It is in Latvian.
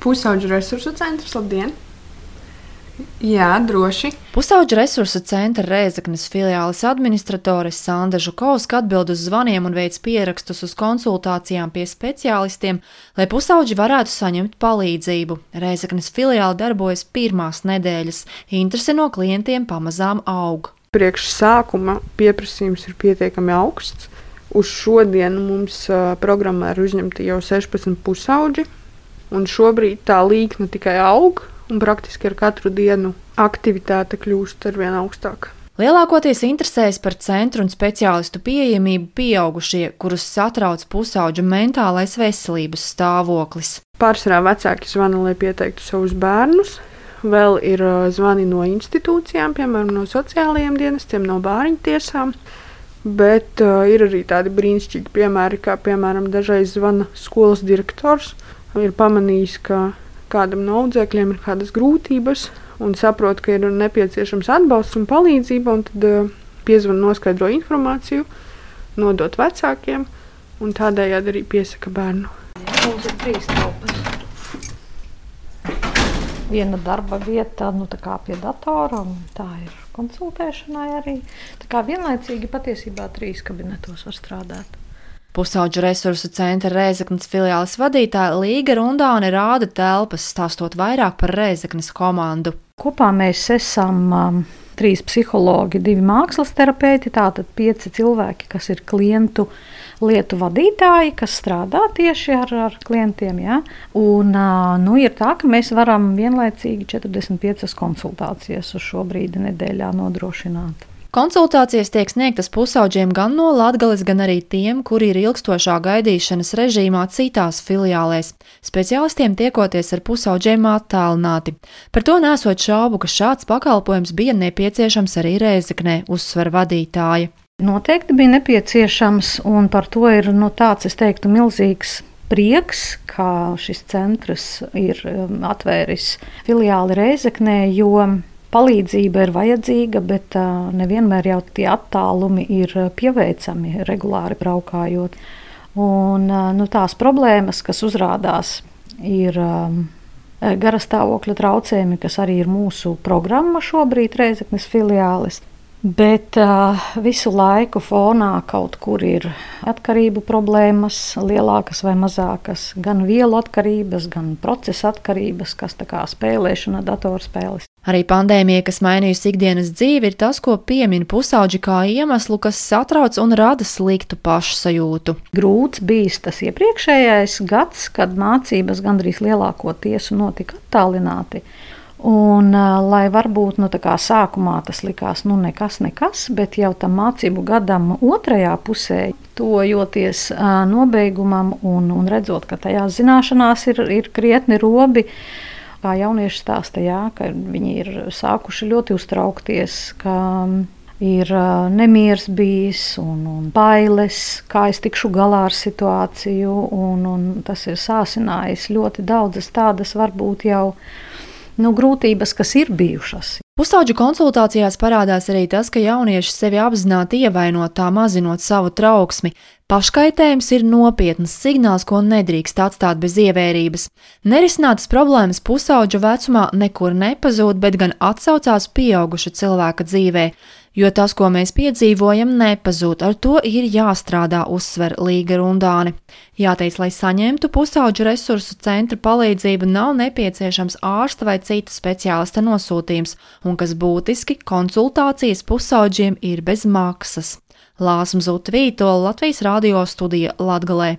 Pusauģu resursu centrs, labdien! Jā, droši. Pusauģu resursu centra Rēzeknes filiāles administratore Sanda Žukovska atbild uz zvaniem un veic pierakstus uz konsultācijām pie speciālistiem, lai pusauģi varētu saņemt palīdzību. Rēzeknes filiāle darbojas pirmās nedēļas. Interese no klientiem pamazām aug. Priekš sākuma pieprasījums ir pietiekami augsts. Uz šodienu mums programmā ir uzņemti jau 16 pusauģi, un šobrīd tā līkne tikai aug. Un praktiski ar katru dienu aktivitāte kļūst arvien augstāka. Lielākoties interesējas par centru un speciālistu pieejamību pieaugušie, kurus satrauc pusauģu mentālais veselības stāvoklis. Pārsvarā vecāki zvana, lai pieteiktu savus bērnus. Vēl ir zvani no institūcijām, piemēram, no sociālajiem dienestiem, no bāriņu tiesām. Bet ir arī tādi brīnišķīgi piemēri, kā piemēram dažreiz zvana skolas direktors. Ir pamanījis, ka kādam no audzēkļiem ir kādas grūtības un saprot, ka ir nepieciešams atbalsts un palīdzība, un tad piezvan noskaidro informāciju, nodot vecākiem un tādējādi arī piesaka bērnu. Mums ir 3 telpas. Viena darba vieta, tā kā pie datora, un tā ir konsultēšanai arī. Tā kā vienlaicīgi patiesībā 3 kabinetos var strādāt. Pusauģu resursu centra Rēzeknes filiāles vadītāja Līga Rundāne rāda telpas, stāstot vairāk par Rēzeknes komandu. Kopā mēs esam 3 psihologi, 2 mākslas terapeiti, tātad 5 cilvēki, kas ir klientu lietu vadītāji, kas strādā tieši ar klientiem. Ja? Un ir tā, ka mēs varam vienlaicīgi 45 konsultācijas uz šo brīdi nedēļā nodrošināt. Konsultācijas tiek sniegtas pusauģiem gan no Latgales, gan arī tiem, kuri ir ilgstošā gaidīšanas režīmā citās filiālēs. Speciālistiem tiekoties ar pusauģiem attālināti. Par to nesot šaubu, ka šāds pakalpojums bija nepieciešams arī Rēzeknē, uzsver vadītāja. Noteikti bija nepieciešams, un par to ir tāds, es teiktu, milzīgs prieks, ka šis centrs ir atvēris filiāli Rēzeknē, jo palīdzība ir vajadzīga, bet nevienmēr jau tie attālumi ir pieveicami regulāri braukājot. Un, tās problēmas, kas uzrādās, ir garastāvokļa traucējumi, kas arī ir mūsu programma šobrīd Rēzeknes filiāles. Bet visu laiku fonā kaut kur ir atkarību problēmas, lielākas vai mazākas, gan vielu atkarības, gan procesa atkarības, kas tā kā spēlēšana, datorspēles. Arī pandēmija, kas mainījusi ikdienas dzīvi, ir tas, ko piemin pusauģi kā iemeslu, kas satrauc un rada sliktu pašsajūtu. Grūts bijis tas iepriekšējais gads, kad mācības gandrīz lielākoties notika attālināti. Un, lai varbūt sākumā tas likās nekas, bet jau tam mācību gadam otrajā pusē, tojoties nobeigumam un redzot, ka tajās zināšanās ir krietni robi, kā jaunieši stāsta, ka viņi ir sākuši ļoti uztraukties, ka ir nemieris bijis un bailes, kā es tikšu galā ar situāciju, un tas ir sāsinājis ļoti daudzas tādas varbūt jau grūtības, kas ir bijušas. Pusauģu konsultācijās parādās arī tas, ka jaunieši sevi apzināti ievaino, tā mazinot savu trauksmi. Paškaitējums ir nopietns signāls, ko nedrīkst atstāt bez ievērības. Nerisinātas problēmas pusauģu vecumā nekur nepazūd, bet gan atsaucās pieauguša cilvēka dzīvē. Jo tas, ko mēs piedzīvojam, nepazūd, ar to ir jāstrādā, uzsver Līga Rundāne. Jāteic, lai saņemtu pusauģu resursu centra palīdzību, nav nepieciešams ārsta vai cita speciālista nosūtījums, un kas būtiski, konsultācijas pusauģiem ir bez maksas. Lāsma Zuta Vītola, Latvijas radio studija Latgalē.